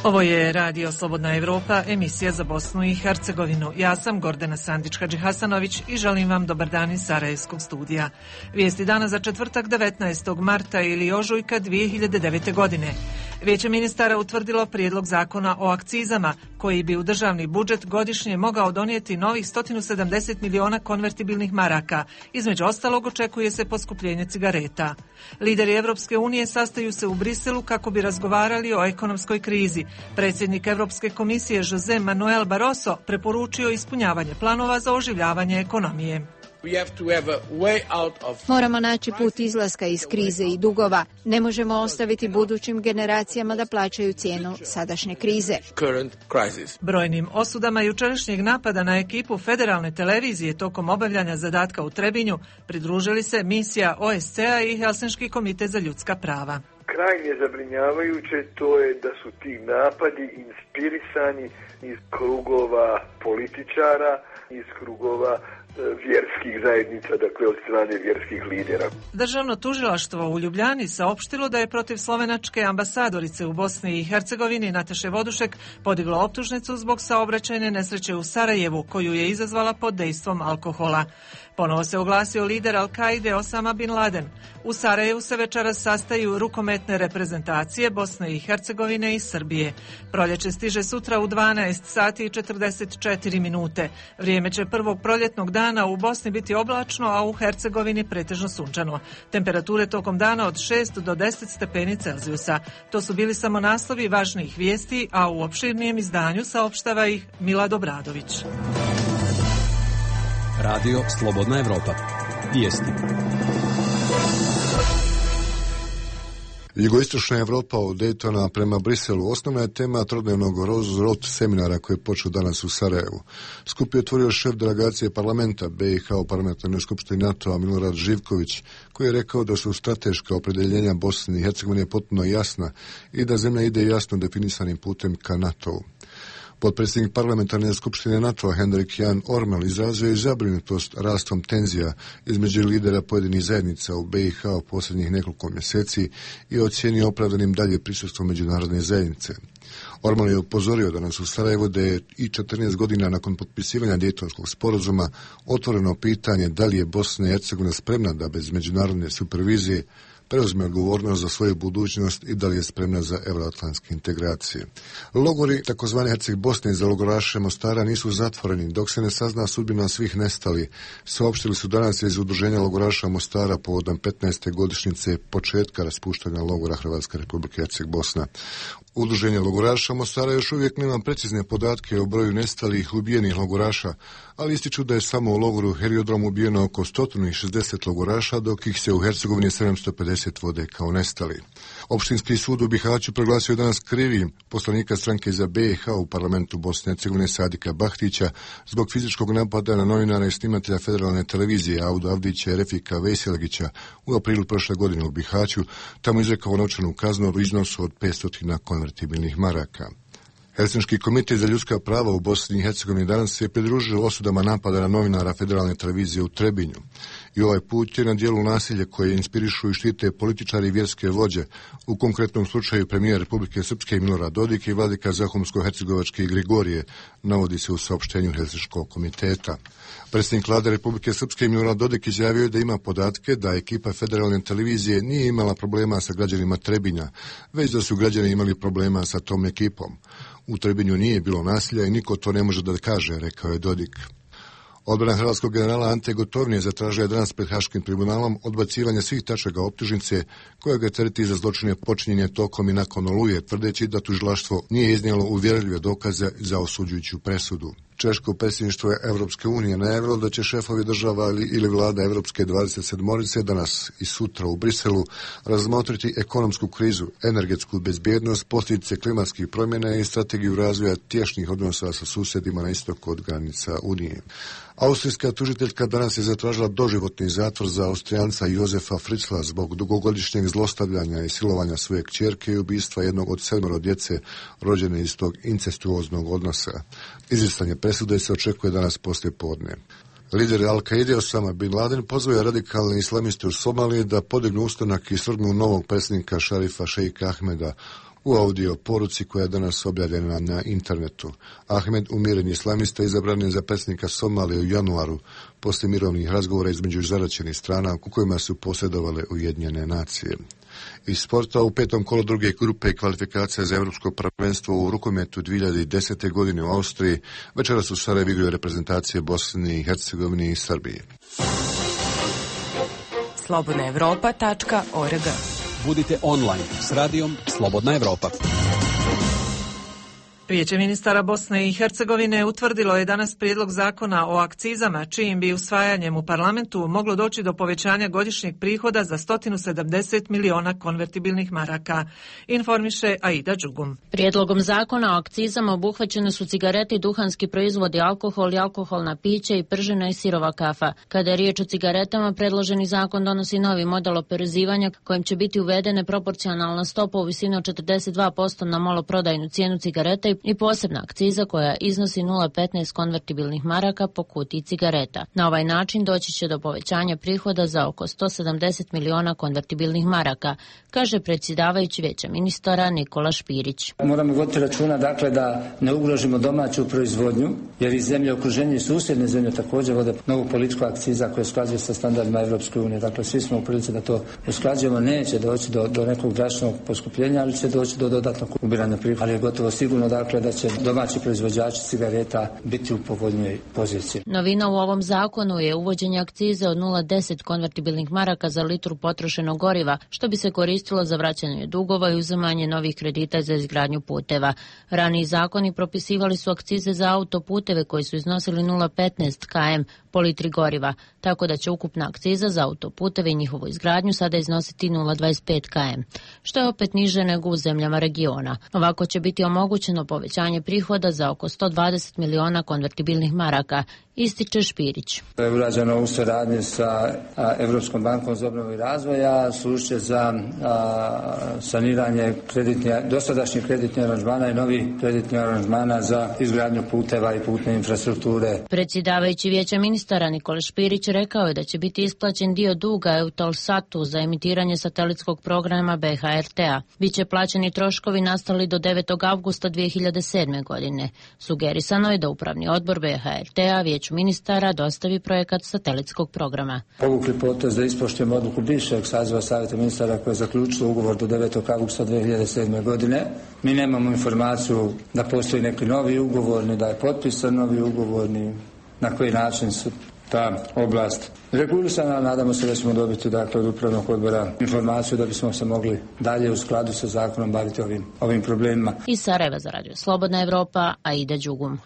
Ovo je Radio Slobodna Evropa, emisija za Bosnu i Hercegovinu. Ja sam Gordana Sandić-Hadžihasanović i želim vam dobar dan iz Sarajevskog studija. Vijesti dana za četvrtak 19. marta ili ožujka 2009. godine. Vijeće ministara utvrdilo prijedlog zakona o akcizama, koji bi u državni budžet godišnje mogao donijeti novih 170 miliona konvertibilnih maraka. Između ostalog očekuje se poskupljenje cigareta. Lideri Evropske unije sastaju se u Briselu kako bi razgovarali o ekonomskoj krizi. Predsjednik Evropske komisije José Manuel Barroso preporučio ispunjavanje planova za oživljavanje ekonomije. Moramo naći put izlaska iz krize i dugova. Ne možemo ostaviti budućim generacijama da plaćaju cijenu sadašnje krize. Brojnim osudama jučerašnjeg napada na ekipu federalne televizije tokom obavljanja zadatka u Trebinju pridružili se misija OSCE-a i Helsinški komitet za ljudska prava. Krajnje zabrinjavajuće to je da su ti napadi inspirisani iz krugova političara, iz krugova vjerskih zajednica, dakle od strane vjerskih lidera. Državno tužilaštvo u Ljubljani saopštilo da je protiv slovenačke ambasadorice u Bosni i Hercegovini Nataše Vodušek podiglo optužnicu zbog saobraćajne nesreće u Sarajevu, koju je izazvala pod dejstvom alkohola. Ponovo se oglasio lider Al-Kaide Osama Bin Laden. U Sarajevu se večeras sastaju rukometne reprezentacije Bosne i Hercegovine i Srbije. Proljeće stiže sutra u 12 sati i 44 minute. Vrijeme će prvog proljetnog dana u Bosni biti oblačno, a u Hercegovini pretežno sunčano. Temperature tokom dana od 6 do 10 stepeni Celzijusa. To su bili samo naslovi važnijih vijesti, a u opširnijem izdanju saopštava ih Milad Obradović. Radio Slobodna Evropa. Vijesti. Jugoistočna Evropa od Daytona prema Briselu osnovna je tema trodnevnog Rose seminara koji je počeo danas u Sarajevu. Skup je otvorio šef delegacije parlamenta BiH u parlamentarnoj skupštini NATO-a Milorad Živković, koji je rekao da su strateška opredjeljenja Bosne i Hercegovine potpuno jasna i da zemlja ide jasno definisanim putem ka NATO-u. Potpredsjednik parlamentarne skupštine NATO-a Hendrik Jan Ormel izrazio je zabrinutost rastom tenzija između lidera pojedinih zajednica u BiH u posljednjih nekoliko mjeseci i ocijenio opravdanim dalje prisustvo međunarodne zajednice. Ormel je upozorio danas u Sarajevu da je i 14 godina nakon potpisivanja Dejtonskog sporazuma otvoreno pitanje da li je Bosna i Hercegovina spremna da bez međunarodne supervizije preuzme odgovornost za svoju budućnost i da li je spremna za euroatlantske integracije. Logori tzv. Herceg Bosne za logoraše Mostara nisu zatvoreni dok se ne sazna sudbina svih nestali. Saopštili su danas iz udruženja logoraša Mostara povodom 15. godišnjice početka raspuštanja logora Hrvatska Republika Herceg Bosna. Udruženje logoraša Mostara još uvijek nema precizne podatke o broju nestalih ubijenih logoraša, ali ističu da je samo u logoru Heliodrom ubijeno oko 160 logoraša, dok ih se u Hercegovini 750 vode kao nestali. Opštinski sud u Bihaću proglasio danas krivim poslanika stranke za BiH u parlamentu Bosne i Hercegovine Sadika Bahtića zbog fizičkog napada na novinara i snimatelja federalne televizije Auda Avdića i Refika Veselgića u aprilu prošle godine u Bihaću, tamo izrekao novčanu kaznu u iznosu od 500 konvertibilnih maraka. Helsinški komitet za ljudska prava u Bosni i Hercegovini danas se je pridružio osudama napada na novinara federalne televizije u Trebinju. I ovaj put je na dijelu nasilje koje inspirišu i štite političari i vjerske vođe, u konkretnom slučaju premijer Republike Srpske Milorad Dodik i vladika Zahumsko-Hercegovačke Grigorije, navodi se u saopštenju Helsinškog komiteta. Predsjednik vlade Republike Srpske Milorad Dodik izjavio je da ima podatke da ekipa federalne televizije nije imala problema sa građanima Trebinja, već da su građani imali problema sa tom ekipom. U Trebinju nije bilo nasilja i niko to ne može da kaže, rekao je Dodik. Odbrana hrvatskog generala Ante Gotovine zatražila je danas pred Haškim tribunalom odbacivanje svih tačaka optužnice koja ga tereti za zločine počinjenje tokom i nakon Oluje, tvrdeći da tužilaštvo nije iznijelo uvjerljive dokaze za osuđujuću presudu. Češko predsjedništvo Evropske unije najavilo da će šefovi država ili vlada Evropske 27 danas i sutra u Briselu razmotriti ekonomsku krizu, energetsku bezbjednost, posljedice klimatskih promjena i strategiju razvoja tješnjih odnosa sa susjedima na istoku od granica Unije. Austrijska tužiteljka danas je zatražila doživotni zatvor za Austrijanca Jozefa Fritzla zbog dugogodišnjeg zlostavljanja i silovanja svoje kćerke i ubistva jednog od 7 djece rođene iz tog incestuoznog odnosa. Izricanje presude se očekuje danas poslije podne. Lider Al-Kaide Osama Bin Laden pozvao je radikalne islamiste u Somaliji da podignu ustanak i svrgnu novog predsjednika Šarifa Šeika Ahmeda U audio poruci koja je danas objavljena na internetu, Ahmed Umiren, islamista, izabran je za predsjednika Somalije u januaru poslije mirovnih razgovora između zaraćenih strana u kojima su posredovale Ujedinjene nacije. Iz sporta, u petom kolu druge grupe kvalifikacija za Europsko prvenstvo u rukometu 2010. godine u Austriji večeras u Sarajevu igraju reprezentacije Bosne i Hercegovine i Srbije. slobodnaevropa.org. Budite online s radijom Slobodna Evropa. Vijeće ministara Bosne i Hercegovine utvrdilo je danas prijedlog zakona o akcizama, čijim bi usvajanjem u parlamentu moglo doći do povećanja godišnjeg prihoda za 170 miliona konvertibilnih maraka, informiše Aida Đugum. Prijedlogom zakona o akcizama obuhvaćene su cigarete i duhanski proizvodi, alkohol i alkoholna pića i pržena i sirova kafa. Kada je riječ o cigaretama, predloženi zakon donosi novi model oporezivanja kojim će biti uvedene proporcionalna stopa u visini od 42% na maloprodajnu cijenu cigareta i posebna akciza koja iznosi 0,15 konvertibilnih maraka po kutiji cigareta. Na ovaj način doći će do povećanja prihoda za oko 170 miliona konvertibilnih maraka, kaže predsjedavajući Vijeća ministara Nikola Špirić. Moramo voditi računa dakle da ne ugrožimo domaću proizvodnju, jer i zemlje okruženja i susjedne zemlje također vode novu politiku akciza koja usklađuje sa standardima Europske unije. Dakle, svi smo u prilici da to usklađujemo. Neće doći do nekog drastičnog poskupljenja, ali će doći do dodatnog ubiranja prihoda. Ali je gotovo sigurno dakle da će domaći proizvođači cigareta biti u povoljnijoj poziciji. Novina u ovom zakonu je uvođenje akcize od 0,10 konvertibilnih maraka za litru potrošenog goriva, što bi se koristilo za vraćanje dugova i uzimanje novih kredita za izgradnju puteva. Raniji zakoni propisivali su akcize za autoputeve koji su iznosili 0,15 km po litri goriva, tako da će ukupna akciza za autoputeve i njihovu izgradnju sada iznositi 0,25 km, što je opet niže nego u zemljama regiona. Ovako će biti omogućeno povećanje prihoda za oko 120 miliona konvertibilnih maraka, ističe Špirić. Je urađeno u suradnji sa Europskom bankom za obnovu i razvoja, služit za saniranje dosadašnjih kreditnih aranžmana i novih kreditnih aranžmana za izgradnju puteva i putne infrastrukture. Predsjedavajući Vijeća ministara Nikola Špirić rekao je da će biti isplaćen dio duga Eutelsatu za emitiranje satelitskog programa BHRT-a. Biće plaćeni troškovi nastali do 9. avgusta 2007. godine. Sugerisano je da upravni odbor BHRT-a Vijeću ministara dostavi projekat satelitskog programa. Povukli potez da ispoštujemo odluku bivšeg saziva Savjeta ministara koje je zaključilo ugovor do 9. avgusta 2007. godine. Mi nemamo informaciju da postoji neki novi ugovor, ni da je potpisan novi ugovor, ni na koji način su ta oblast regulisana. Nadamo se da ćemo dobiti dakle, od upravnog odbora informaciju da bismo se mogli dalje u skladu sa zakonom baviti ovim problemima. Iz Sarajeva za radio Slobodna Evropa, Aida Đugum.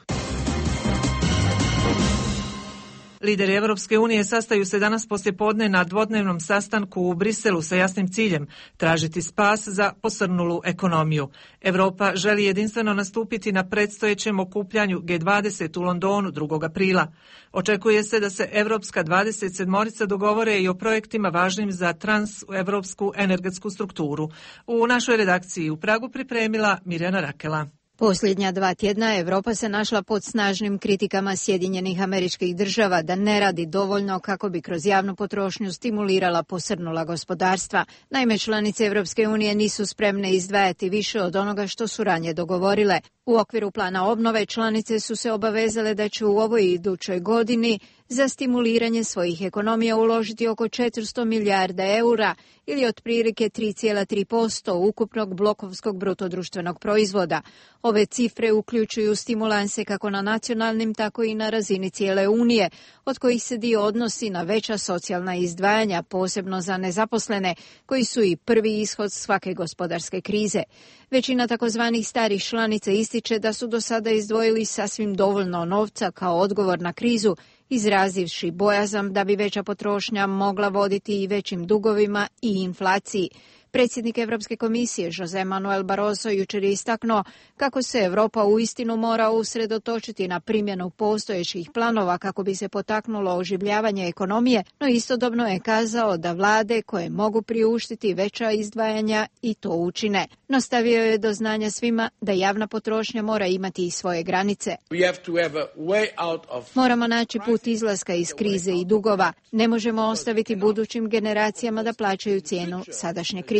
Lideri Evropske unije sastaju se danas poslijepodne na dvodnevnom sastanku u Briselu sa jasnim ciljem tražiti spas za posrnulu ekonomiju. Evropa želi jedinstveno nastupiti na predstojećem okupljanju G20 u Londonu 2. aprila. Očekuje se da se Evropska 27-orica dogovore i o projektima važnim za transevropsku energetsku strukturu. U našoj redakciji u Pragu pripremila Mirjana Rakela. Posljednja 2 tjedna Europa se našla pod snažnim kritikama Sjedinjenih Američkih Država da ne radi dovoljno kako bi kroz javnu potrošnju stimulirala posrnula gospodarstva. Naime, članice Europske unije nisu spremne izdvajati više od onoga što su ranije dogovorile. U okviru plana obnove članice su se obavezale da će u ovoj i idućoj godini za stimuliranje svojih ekonomija uložiti oko 400 milijarda eura ili otprilike 3,3% ukupnog blokovskog brutodruštvenog proizvoda. Ove cifre uključuju stimulanse kako na nacionalnim, tako i na razini cijele Unije, od kojih se dio odnosi na veća socijalna izdvajanja, posebno za nezaposlene, koji su i prvi ishod svake gospodarske krize. Većina takozvanih starih članica ističe da su do sada izdvojili sasvim dovoljno novca kao odgovor na krizu, izrazivši bojazan da bi veća potrošnja mogla voditi i većim dugovima i inflaciji. Predsjednik Europske komisije José Manuel Barroso jučer je istaknuo kako se Europa uistinu mora usredotočiti na primjenu postojećih planova kako bi se potaknulo oživljavanje ekonomije, no istodobno je kazao da vlade koje mogu priuštiti veća izdvajanja i to učine. No stavio je do znanja svima da javna potrošnja mora imati i svoje granice. Moramo naći put izlaska iz krize i dugova. Ne možemo ostaviti budućim generacijama da plaćaju cijenu sadašnje krize.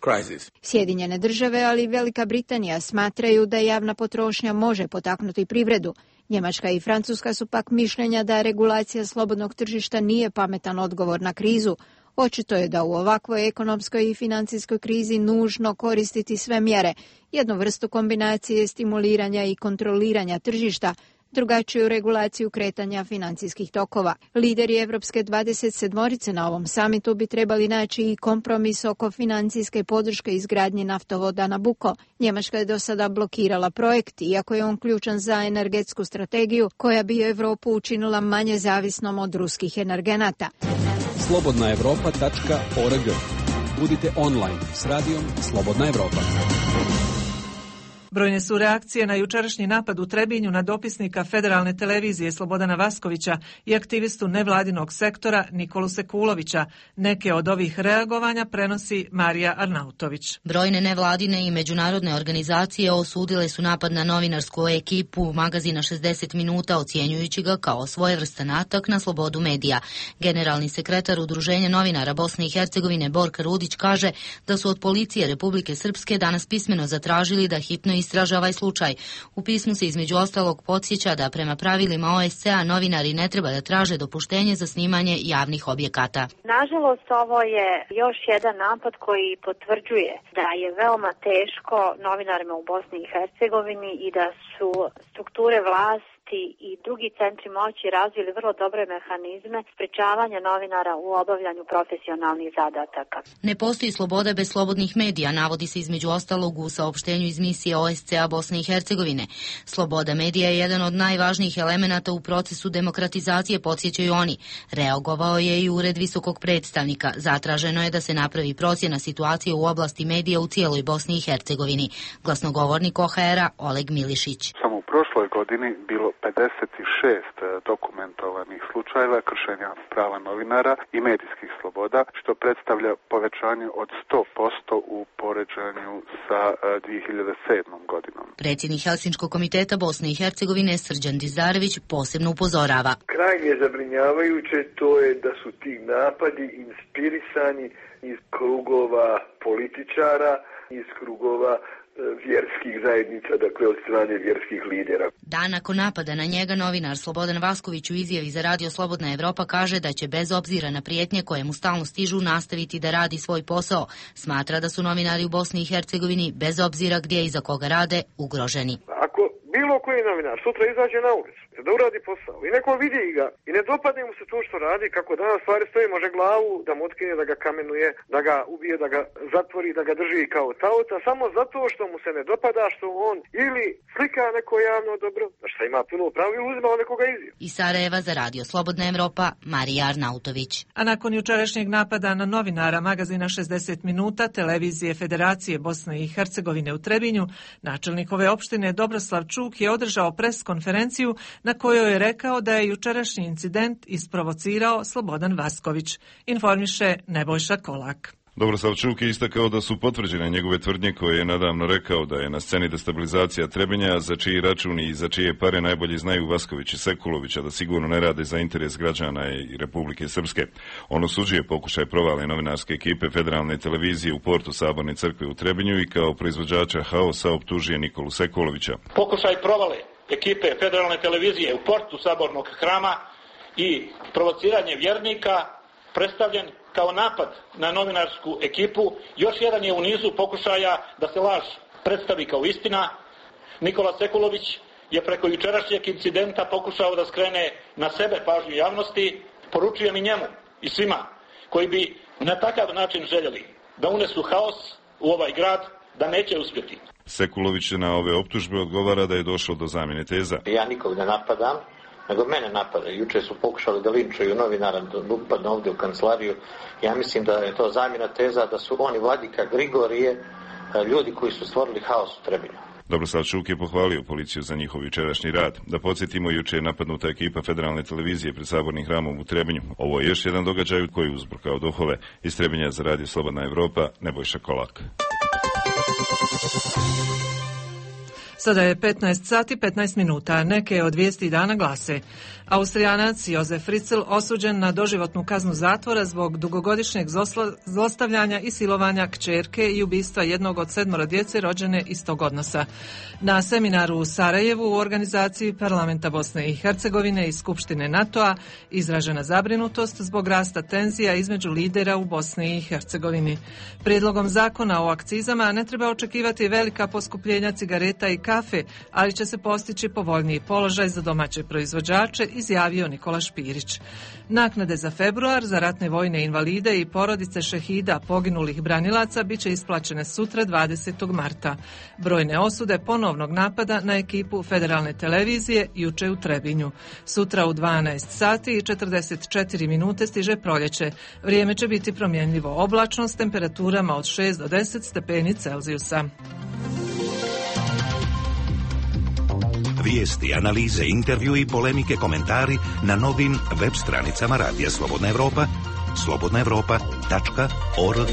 krize. Sjedinjene države, ali i Velika Britanija smatraju da javna potrošnja može potaknuti privredu. Njemačka i Francuska su pak mišljenja da regulacija slobodnog tržišta nije pametan odgovor na krizu. Očito je da u ovakvoj ekonomskoj i financijskoj krizi nužno koristiti sve mjere, jednu vrstu kombinacije stimuliranja i kontroliranja tržišta, drugačiju regulaciju kretanja financijskih tokova. Lideri Evropske 27-orice na ovom samitu bi trebali naći i kompromis oko financijske podrške izgradnje naftovoda Nabucco. Njemačka je do sada blokirala projekt, iako je on ključan za energetsku strategiju koja bi Europu učinila manje zavisnom od ruskih energenata. slobodnaevropa.org. Budite online s radijom Slobodna Evropa. Brojne su reakcije na jučerašnji napad u Trebinju na dopisnika Federalne televizije Slobodana Vaskovića i aktivistu nevladinog sektora Nikolu Sekulovića. Neke od ovih reagovanja prenosi Marija Arnautović. Brojne nevladine i međunarodne organizacije osudile su napad na novinarsku ekipu magazina 60 minuta, ocjenjujući ga kao svojevrstan atak na slobodu medija. Generalni sekretar Udruženja novinara Bosne i Hercegovine Borka Rudić kaže da su od policije Republike Srpske danas pismeno zatražili da hitno istraže ovaj slučaj. U pismu se između ostalog podsjeća da prema pravilima OSCE-a novinari ne treba da traže dopuštenje za snimanje javnih objekata. Nažalost, ovo je još jedan napad koji potvrđuje da je veoma teško novinarima u Bosni i Hercegovini i da su strukture vlasti i drugi centri moći razvili vrlo dobre mehanizme sprečavanja novinara u obavljanju profesionalnih zadataka. Ne postoji sloboda bez slobodnih medija, navodi se između ostalog u saopštenju iz misije OSCE-a Bosne i Hercegovine. Sloboda medija je jedan od najvažnijih elemenata u procesu demokratizacije, podsjećaju oni. Reagovao je i Ured visokog predstavnika. Zatraženo je da se napravi procjena situacije u oblasti medija u cijeloj Bosni i Hercegovini. Glasnogovornik OHR-a Oleg Milišić. Samo u prošloj godini bilo 56 dokumentovanih slučajeva kršenja prava novinara i medijskih sloboda, što predstavlja povećanje od 100% u poređenju sa 2007. godinom. Predsjednik Helsinškog komiteta Bosne i Hercegovine Srđan Dizdarević posebno upozorava. Krajnje zabrinjavajuće to je da su ti napadi inspirisani iz krugova političara, iz krugova vjerskih zajednica, dakle od strane vjerskih lidera. Dan nakon napada na njega novinar Slobodan Vasković u izjavi za Radio Slobodna Evropa kaže da će bez obzira na prijetnje koje mu stalno stižu nastaviti da radi svoj posao. Smatra da su novinari u Bosni i Hercegovini bez obzira gdje i za koga rade ugroženi. Ako bilo koji novinar sutra izađe na ulicu da uradi posao i neko vidi ga i ne dopadne mu se to što radi, kako danas stvari stoji, može glavu da mu otkine, da ga kamenuje, da ga ubije, da ga zatvori, da ga drži kao taoca, samo zato što mu se ne dopada što on ili slika neko javno dobro, što ima puno pravo, ili uzima nekoga izjava. Iz Sarajeva za Radio Slobodna Evropa, Marija Arnautović. A nakon jučerašnjeg napada na novinara magazina 60 minuta televizije Federacije Bosne i Hercegovine u Trebinju, načelnik ove opštine Dobroslav Čuk je održao pres konferenciju na kojoj je rekao da je jučerašnji incident isprovocirao Slobodan Vasković, informiše Nebojša Kolak. Dobroslav Čuk je istakao da su potvrđene njegove tvrdnje koje je nadavno rekao da je na sceni destabilizacija Trebinja, za čiji račun i za čije pare najbolje znaju Vasković i Sekulović, a da sigurno ne rade za interes građana i Republike Srpske. On osuđuje pokušaj provale novinarske ekipe Federalne televizije u portu Saborne crkve u Trebinju i kao proizvođača haosa optužuje Nikolu Sekulovića. Pokušaj provale ekipe Federalne televizije u portu Sabornog hrama i provociranje vjernika predstavljen kao napad na novinarsku ekipu, još jedan je u nizu pokušaja da se laž predstavi kao istina. Nikola Sekulović je preko jučerašnjeg incidenta pokušao da skrene na sebe pažnju javnosti. Poručujem i njemu i svima koji bi na takav način željeli da unesu haos u ovaj grad, da neće uspjeti. Sekulović na ove optužbe odgovara da je došlo do zamjene teza. Ja nikog ne napadam, nego mene napadaju. Juče su pokušali da linčuju novinara, da upadne ovdje u kancelariju. Ja mislim da je to zamjena teza, da su oni Vladika Grigorije, ljudi koji su stvorili haos u Trebinju. Dobroslav Čuk je pohvalio policiju za njihov jučerašnji rad. Da podsjetimo, juče je napadnuta ekipa Federalne televizije pred Sabornim hramom u Trebinju. Ovo je još jedan događaj koji je uzburkao duhove. Iz Trebinja za Radio Slobodna Evropa, Nebojša Kolak. Sada je 15 sati 15 minuta. Neke od vijesti dana glase: Austrijanac Josef Fritzl osuđen na doživotnu kaznu zatvora zbog dugogodišnjeg zlostavljanja i silovanja kćerke i ubistva jednog od 7 djece rođene iz tog odnosa. Na seminaru u Sarajevu u organizaciji Parlamenta Bosne i Hercegovine i Skupštine NATO-a izražena zabrinutost zbog rasta tenzija između lidera u Bosni i Hercegovini. Prijedlogom zakona o akcizama ne treba očekivati velika poskupljenja cigareta i kafe, ali će se postići povoljniji položaj za domaće proizvođače, izjavio Nikola Špirić. Naknade za februar za ratne vojne invalide i porodice šehida poginulih branilaca bit će isplaćene sutra 20. marta. Brojne osude ponovnog napada na ekipu federalne televizije juče u Trebinju. Sutra u 12 sati i 44 minute stiže proljeće. Vrijeme će biti promjenljivo oblačno s temperaturama od 6 do 10 stepeni Celzijusa. Vijesti, analize, intervju i polemike, komentari na novim web stranicama Radija Slobodna Evropa, slobodnaevropa.org.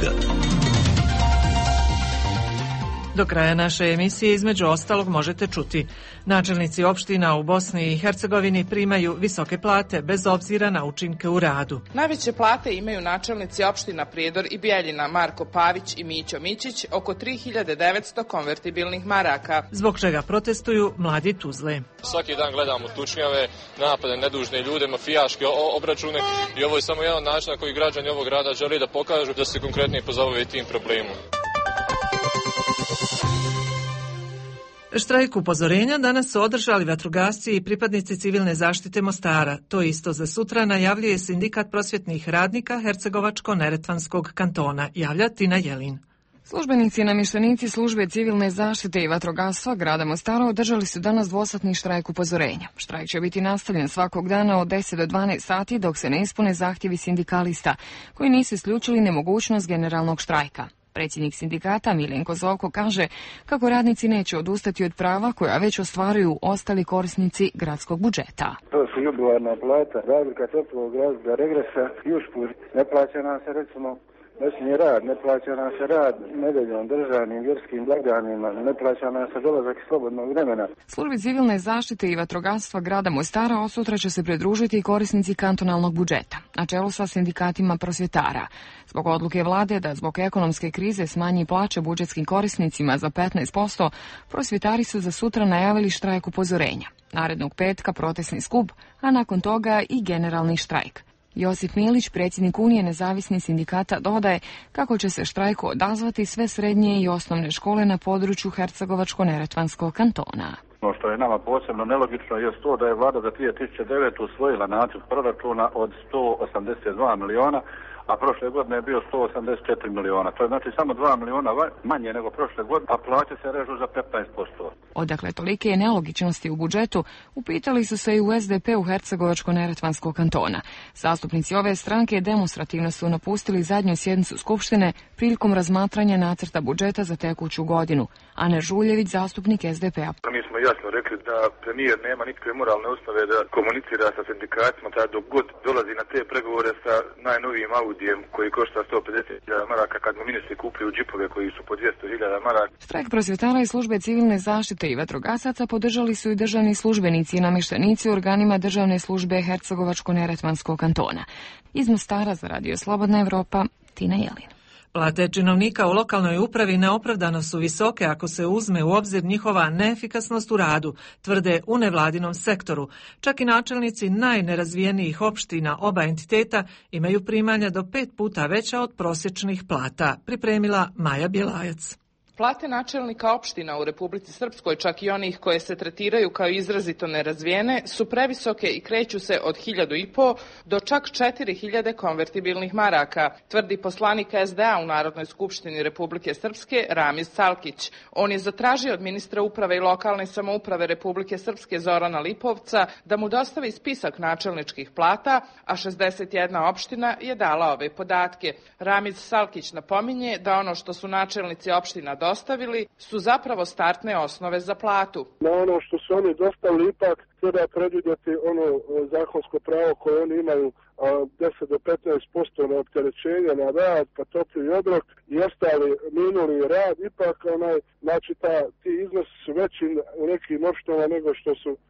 Do kraja naše emisije između ostalog možete čuti: načelnici opština u Bosni i Hercegovini primaju visoke plate bez obzira na učinke u radu. Najveće plate imaju načelnici opština Prijedor i Bijeljina Marko Pavić i Mićo Mićić, oko 3900 konvertibilnih maraka. Zbog čega protestuju mladi Tuzle. Svaki dan gledamo tučnjave, napade, nedužne ljude, mafijaške obračune i ovo je samo jedan način na koji građani ovog grada žele da pokažu da se konkretnije pozabave tim problemom. Štrajk upozorenja danas su održali vatrogasci i pripadnici civilne zaštite Mostara. To isto za sutra najavljuje Sindikat prosvjetnih radnika Hercegovačko-Neretvanskog kantona, javlja Tina Jelin. Službenici i namještenici službe civilne zaštite i vatrogastva grada Mostara održali su danas dvosatni štrajk upozorenja. Štrajk će biti nastavljen svakog dana od 10 do 12 sati dok se ne ispune zahtjevi sindikalista, koji nisu isključili nemogućnost generalnog štrajka. Predsjednik sindikata Miljenko Zovko kaže kako radnici neće odustati od prava koja već ostvaruju ostali korisnici gradskog budžeta. To su jubilarna plata, razlika toplog razloga regresa i usput ne plaća nam se recimo noćni rad, ne plaća nam se rad nedeljom, državnim, vjerskim blagdanima, ne plaća nam se dolazak slobodnog vremena. Službi civilne zaštite i vatrogastva grada Mostara od sutra će se pridružiti i korisnici kantonalnog budžeta, na čelu sa sindikatima prosvjetara. Zbog odluke vlade da zbog ekonomske krize smanji plaće budžetskim korisnicima za 15%, prosvjetari su za sutra najavili štrajk upozorenja. Narednog petka protestni skup, a nakon toga i generalni štrajk. Josip Milić, predsjednik Unije nezavisnih sindikata, dodaje kako će se štrajku odazvati sve srednje i osnovne škole na području Hercegovačko-Neretvanskog kantona. Ono što je nama posebno nelogično je to da je vlada za 2009. usvojila nacrt proračuna od 182 miliona, a prošle godine je bio 184 miliona. To je znači samo 2 miliona manje nego prošle godine, a plaće se režu za 15%. Odakle tolike nelogičnosti u budžetu, upitali su se i u SDP-u Hercegovačko-Neretvanskog kantona. Zastupnici ove stranke demonstrativno su napustili zadnju sjednicu Skupštine prilikom razmatranja nacrta budžeta za tekuću godinu. Ane Žuljević, zastupnik SDP-a. Mi smo jasno rekli da premijer nema nikakve moralne osnove da komunicira sa sindikatima, tada dok god dolazi na te pregovore sa najnovijim Audijem koji košta 150.000 maraka, kad mu ministri kupuju džipove koji su po 200.000 maraka. Štrajk prosvjetara i službe civilne zaštite i vatrogasaca podržali su i državni službenici i namještenici u organima državne službe Hercegovačko-Neretvanskog kantona. Iz Mostara za Radio Slobodna Evropa, Tina Jelin. Plate činovnika u lokalnoj upravi neopravdano su visoke ako se uzme u obzir njihova neefikasnost u radu, tvrde u nevladinom sektoru. Čak i načelnici najnerazvijenijih opština oba entiteta imaju primanja do 5 puta veća od prosječnih plata, pripremila Maja Bjelajac. Plate načelnika opština u Republici Srpskoj, čak i onih koje se tretiraju kao izrazito nerazvijene, su previsoke i kreću se od 1.500 do čak 4.000 konvertibilnih maraka, tvrdi poslanik SDA u Narodnoj skupštini Republike Srpske Ramiz Salkić. On je zatražio od ministra uprave i lokalne samouprave Republike Srpske Zorana Lipovca da mu dostavi spisak načelničkih plata, a 61 opština je dala ove podatke. Ramiz Salkić napominje da ono što su načelnici opština dostavili su zapravo startne osnove za platu. Na ono što su oni dostavili ipak treba predvidjeti ono zakonsko pravo koje oni imaju 10 do 15% na opterećenje na rad, pa topli obrok i ostali minuli rad, ipak znači ti iznosi su su veći u nekim opštinama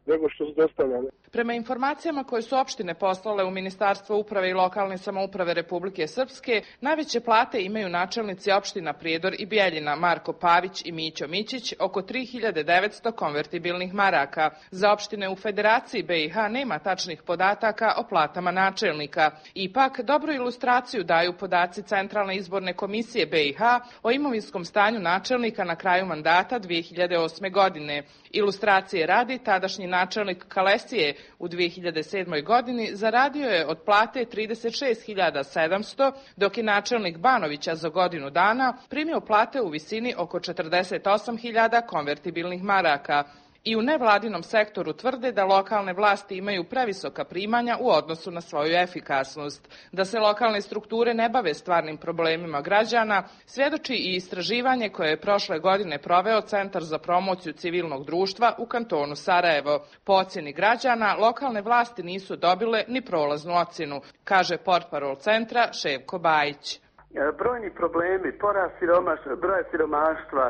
nego što su dostavljane. Prema informacijama koje su opštine poslale u Ministarstvo uprave i lokalne samouprave Republike Srpske, najveće plate imaju načelnici opština Prijedor i Bjeljina Marko Pavić i Mićo Mićić, oko 3900 konvertibilnih maraka. Za opštine u Federaciji BiH nema tačnih podataka o platama načelnika. Ipak, dobru ilustraciju daju podaci Centralne izborne komisije BiH o imovinskom stanju načelnika na kraju mandata 2008. godine. Ilustracije radi, tadašnji načelnik Kalesije u 2007. godini zaradio je od plate 36.700, dok je načelnik Banovića za godinu dana primio plate u visini oko 48.000 konvertibilnih maraka. I u nevladinom sektoru tvrde da lokalne vlasti imaju previsoka primanja u odnosu na svoju efikasnost. Da se lokalne strukture ne bave stvarnim problemima građana, svjedoči i istraživanje koje je prošle godine proveo Centar za promociju civilnog društva u kantonu Sarajevo. Po ocjeni građana, lokalne vlasti nisu dobile ni prolaznu ocjenu, kaže portparol centra Ševko Bajić. Brojni problemi, porast broja siromaštva,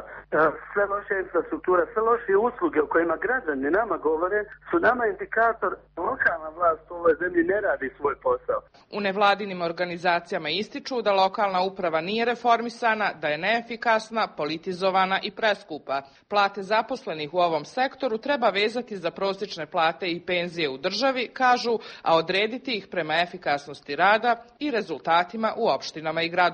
sve loše infrastruktura, sve loše usluge o kojima građani nama govore su nama indikator lokalna vlast u ovoj zemlji ne radi svoj posao. U nevladinim organizacijama ističu da lokalna uprava nije reformisana, da je neefikasna, politizovana i preskupa. Plate zaposlenih u ovom sektoru treba vezati za prosječne plate i penzije u državi, kažu, a odrediti ih prema efikasnosti rada i rezultatima u opštinama i gradovima.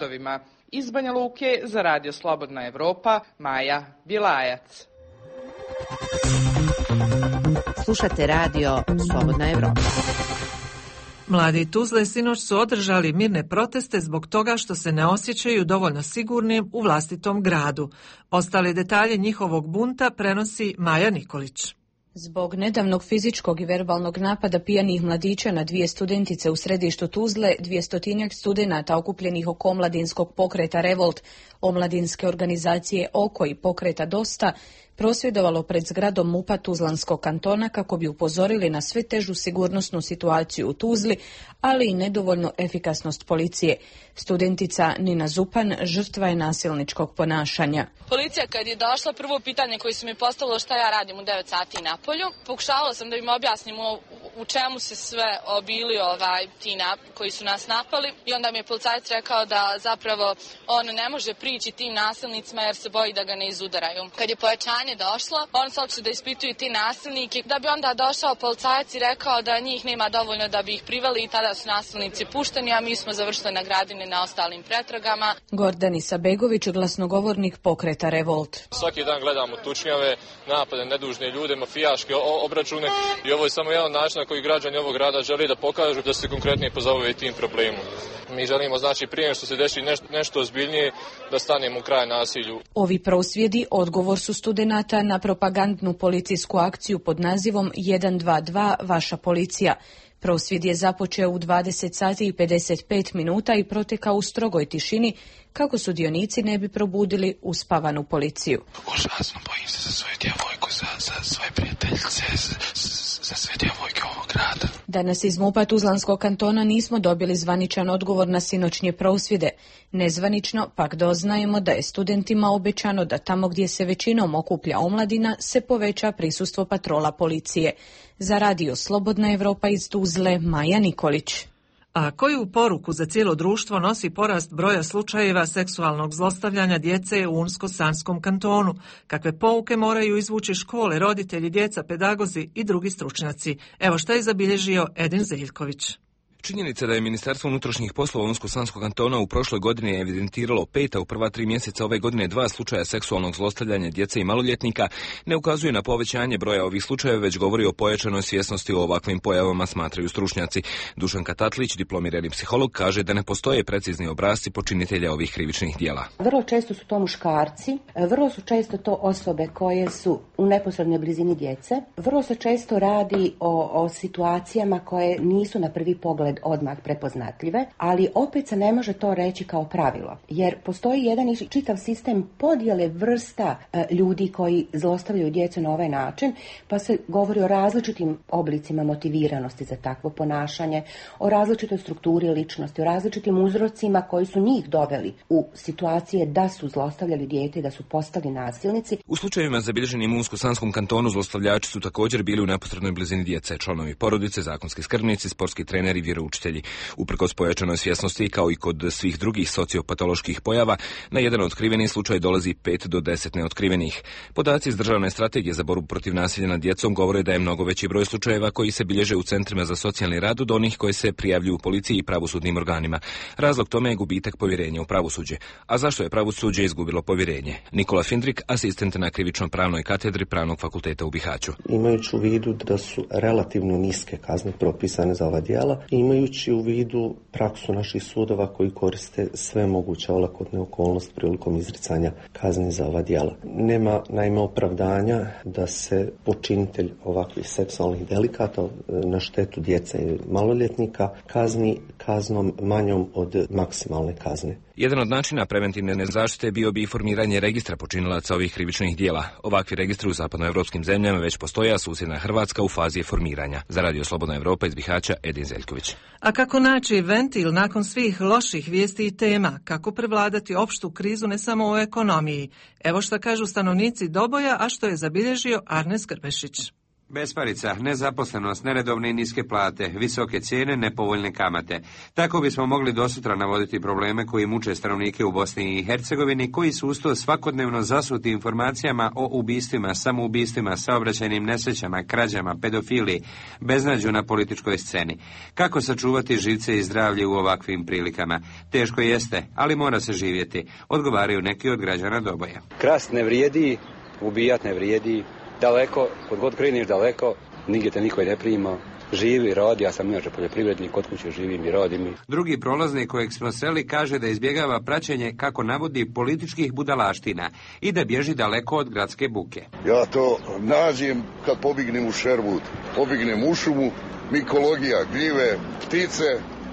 Iz Banja Luke za Radio Slobodna Evropa, Maja Bilajac. Slušate Radio Slobodna Evropa. Mladi Tuzle sinoć su održali mirne proteste zbog toga što se ne osjećaju dovoljno sigurnim u vlastitom gradu. Ostale detalje njihovog bunta prenosi Maja Nikolić. Zbog nedavnog fizičkog i verbalnog napada pijanih mladića na dvije studentice u središtu Tuzle, 200 studenata okupljenih oko omladinskog pokreta Revolt, omladinske organizacije Oko i pokreta Dosta, prosvjedovalo pred zgradom MUP-a Tuzlanskog kantona kako bi upozorili na sve težu sigurnosnu situaciju u Tuzli, ali i nedovoljnu efikasnost policije. Studentica Nina Zupan žrtva je nasilničkog ponašanja. Policija kad je došla, prvo pitanje koje su mi postavilo šta ja radim u 9 sati na polju. Pokušavala sam da im objasnim u čemu se sve obili ti koji su nas napali i onda mi je policajac rekao da zapravo on ne može prići tim nasilnicima jer se boji da ga ne izudaraju. Kad je pojačanje došlo, on se odšli da ispituju ti nasilnike, da bi onda došao policajac i rekao da njih nema dovoljno da bi ih priveli i tada su nasilnici pušteni, a mi smo završili na Gradini na ostalim pretragama. Gordanis Begović, glasnogovornik pokreta Revolt. Svaki dan gledamo tučnjave, napade, nedužne ljude, mafijaške obračune i ovo je samo jedan način na koji građani ovog grada žele da pokažu da se konkretnije pozabave tim problemom. Mi želimo, znači, prije što se desi nešto ozbiljnije, da stanemo u kraj nasilju. Ovi prosvjedi odgovor su studenata na propagandnu policijsku akciju pod nazivom 122 Vaša policija. Prosvjed je započeo u 20 sati i 55 minuta i protekao u strogoj tišini kako sudionici ne bi probudili uspavanu policiju. Užasno bojim se za svoju djevojku, za svoje prijateljice, za sve djevojke ovog grada. Danas iz MUP-a Tuzlanskog kantona nismo dobili zvaničan odgovor na sinoćnje prosvjede. Nezvanično pak doznajemo da je studentima obećano da tamo gdje se većinom okuplja omladina se poveća prisustvo patrola policije. Za Radio Slobodna Evropa iz Tuzle, Maja Nikolić. A koju poruku za cijelo društvo nosi porast broja slučajeva seksualnog zlostavljanja djece u Unsko-Sanskom kantonu? Kakve pouke moraju izvući škole, roditelji, djeca, pedagozi i drugi stručnjaci? Evo što je zabilježio Edin Zeljković. Činjenica da je Ministarstvo unutrašnjih poslova Unsko-Sanskog kantona u prošloj godini evidentiralo 5, a u prva 3 mjeseca ove godine 2 slučaja seksualnog zlostavljanja djece i maloljetnika ne ukazuje na povećanje broja ovih slučajeva, već govori o pojačanoj svjesnosti o ovakvim pojavama, smatraju stručnjaci. Dušan Katatlić, diplomirani psiholog, kaže da ne postoje precizni obrasci počinitelja ovih krivičnih djela. Vrlo često su to muškarci, vrlo su često to osobe koje su u neposrednoj blizini djece, vrlo se često radi o situacijama koje nisu na prvi pogled odmah prepoznatljive, ali opet se ne može to reći kao pravilo, jer postoji jedan čitav sistem podjele vrsta ljudi koji zlostavljaju djecu na ovaj način, pa se govori o različitim oblicima motiviranosti za takvo ponašanje, o različitoj strukturi ličnosti, o različitim uzrocima koji su njih doveli u situacije da su zlostavljali dijete i da su postali nasilnici. U slučajevima zabilježenim u Unsko-Sanskom kantonu zlostavljači su također bili u neposrednoj blizini djece, članovi porodice, zakonski skrbnici, sportski treneri i vjeroučitelji. Uprkos pojačanoj svjesnosti, kao i kod svih drugih sociopatoloških pojava, na jedan otkriveni slučaj dolazi 5 do 10 neotkrivenih. Podaci iz Državne strategije za borbu protiv nasilja nad djecom govore da je mnogo veći broj slučajeva koji se bilježe u centrima za socijalni rad od onih koje se prijavljuju u policiji i pravosudnim organima. Razlog tome je gubitak povjerenja u pravosuđe. A zašto je pravosuđe izgubilo povjerenje? Nikola Findrik, asistent na krivično-pravnoj katedri Pravnog fakulteta u Bihaću. Imajući u vidu da su relativno niske kazne propisane za ova djela, imajući u vidu praksu naših sudova koji koriste sve moguće olakotne okolnosti prilikom izricanja kazni za ova djela. Nema naime opravdanja da se počinitelj ovakvih seksualnih delikata na štetu djece i maloljetnika kazni kaznom manjom od maksimalne kazne. Jedan od načina preventivne zaštite bio bi formiranje registra počinilaca ovih krivičnih dijela. Ovakvi registri u zapadnoevropskim zemljama već postoje, a susjedna Hrvatska u fazi je formiranja. Za Radio Slobodna Evropa iz Bihaća, Edin Zeljković. A kako naći ventil nakon svih loših vijesti i tema? Kako prevladati opštu krizu ne samo u ekonomiji? Evo što kažu stanovnici Doboja, a što je zabilježio Arnes Grbešić. Besparica, nezaposlenost, neredovne i niske plate, visoke cijene, nepovoljne kamate. Tako bismo mogli dosutra navoditi probleme koji muče stanovnike u Bosni i Hercegovini, koji su uz to svakodnevno zasuti informacijama o ubistvima, samoubistvima, saobraćajnim nesrećama, krađama, pedofiliji, beznađu na političkoj sceni. Kako sačuvati živce i zdravlje u ovakvim prilikama? Teško jeste, ali mora se živjeti, odgovaraju neki od građana Doboja. Krast ne vrijedi, ubijat ne vrijedi. Daleko, kod god kreneš daleko, nigdje te niko ne prima. Živi, radi, ja sam inače poljoprivrednik, kod kuće živim i radim. Drugi prolaznik kojeg smo sreli kaže da izbjegava praćenje, kako navodi, političkih budalaština i da bježi daleko od gradske buke. Ja to nađem kad pobignem u Šerbud, pobignem u šumu, mikologija, gljive, ptice.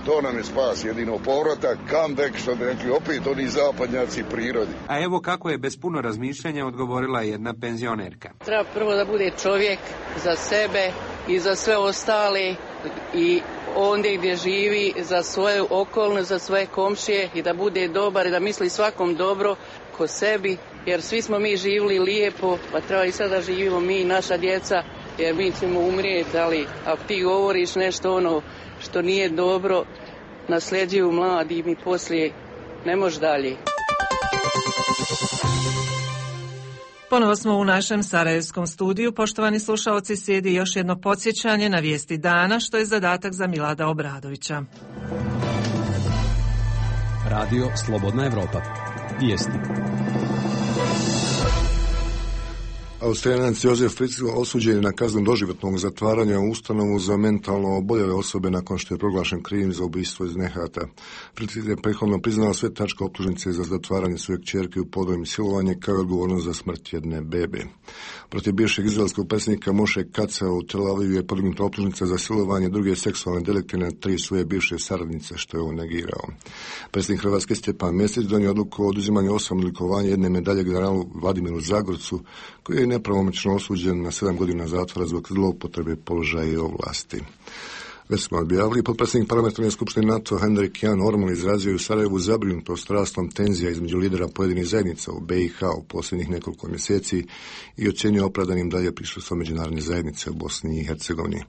To nam je spas, jedino povratak, comeback, što bi rekli, opet oni zapadnjaci prirodi. A evo kako je bez puno razmišljanja odgovorila jedna penzionerka. Treba prvo da bude čovjek za sebe i za sve ostale i ondje gdje živi, za svoju okolnost, za svoje komšije i da bude dobar i da misli svakom dobro ko sebi, jer svi smo mi živjeli lijepo, pa treba i sada živimo mi i naša djeca, jer mi ćemo umrijeti, ali ako ti govoriš nešto ono što nije dobro, nasljeđuju mladi i mi poslije ne može dalje. Ponovo smo u našem sarajevskom studiju. Poštovani slušaoci, slijedi još jedno podsjećanje na vijesti dana, što je zadatak za Milada Obradovića. Radio Slobodna Evropa. Vijesti. Austrijanac Josef Fritzl osuđen je na kaznu doživotnog zatvaranja u ustanovu za mentalno oboljele osobe nakon što je proglašen krivim za ubistvo iz nehata. Fritzl je prethodno priznao sve tačke optužnice za zatvaranje svoje kćerke u podvojem i silovanje, kao i odgovornost za smrt jedne bebe. Protiv bivšeg izraelskog predsjednika Moše Kaca u Tel Avivu je podignuta optužnica za silovanje druge seksualne delikte na 3 svoje bivše saradnice, što je on negirao. Predsjednik Hrvatske Stjepan Mesić donio odluku o oduzimanju 8 odlikovanja jedne medalje generalu Vladimiru Zagorcu, koji je nepravomoćno osuđen na 7 godina zatvora zbog zloupotrebe položaja i ovlasti. Već smo objavili, potpredsjednik Parlamentarne skupštine NATO Henrik Jan Orman izrazio je u Sarajevu zabrinutost rastom tenzija između lidera pojedinih zajednica u BiH u posljednjih nekoliko mjeseci i ocjenio opravdanim dalje prisustvo međunarodne zajednice u Bosni i Hercegovini.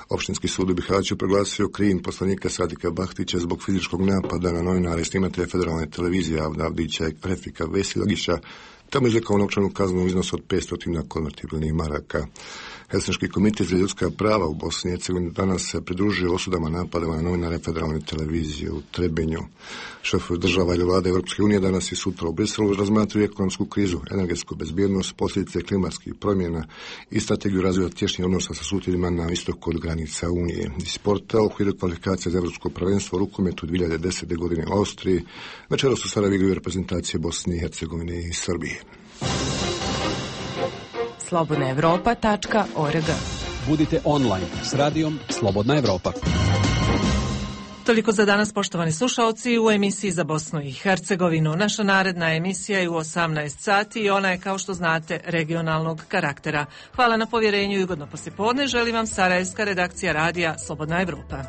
Opštinski sud u Bihaću proglasio krivim poslanika Sadika Bahtića zbog fizičkog napada na novinare i snimatelja federalne televizije Avdića i Refika Vesilagića. Tamo je izrekao novčanu kaznu u iznosu od 500 konvertibilnih maraka. Helsinški komitet za ljudska prava u Bosni i Hercegovini danas se pridružio osudama napadama na novinare federalne televizije u Trebinju. Šefovi država ili vlade Europske unije danas i sutra u Briselu razmatraju ekonomsku krizu, energetsku bezbjednost, posljedice klimatskih promjena i strategiju razvoja tješnjih odnosa sa susjedima na istoku od granica Unije. Iz sporta u okviru kvalifikacija za Evropsko prvenstvo u rukometu 2010. godine u Austriji večeras u Sarajevu igraju reprezentacije Bosne i Hercegovine i Srbije. slobodnaevropa.org. Budite online s radijom Slobodna Evropa. Toliko za danas, poštovani slušaoci, u emisiji za Bosnu i Hercegovinu. Naša naredna emisija je u 18 sati i ona je, kao što znate, regionalnog karaktera. Hvala na povjerenju i ugodno poslijepodne. Želim vam sarajevska redakcija radija Slobodna Evropa.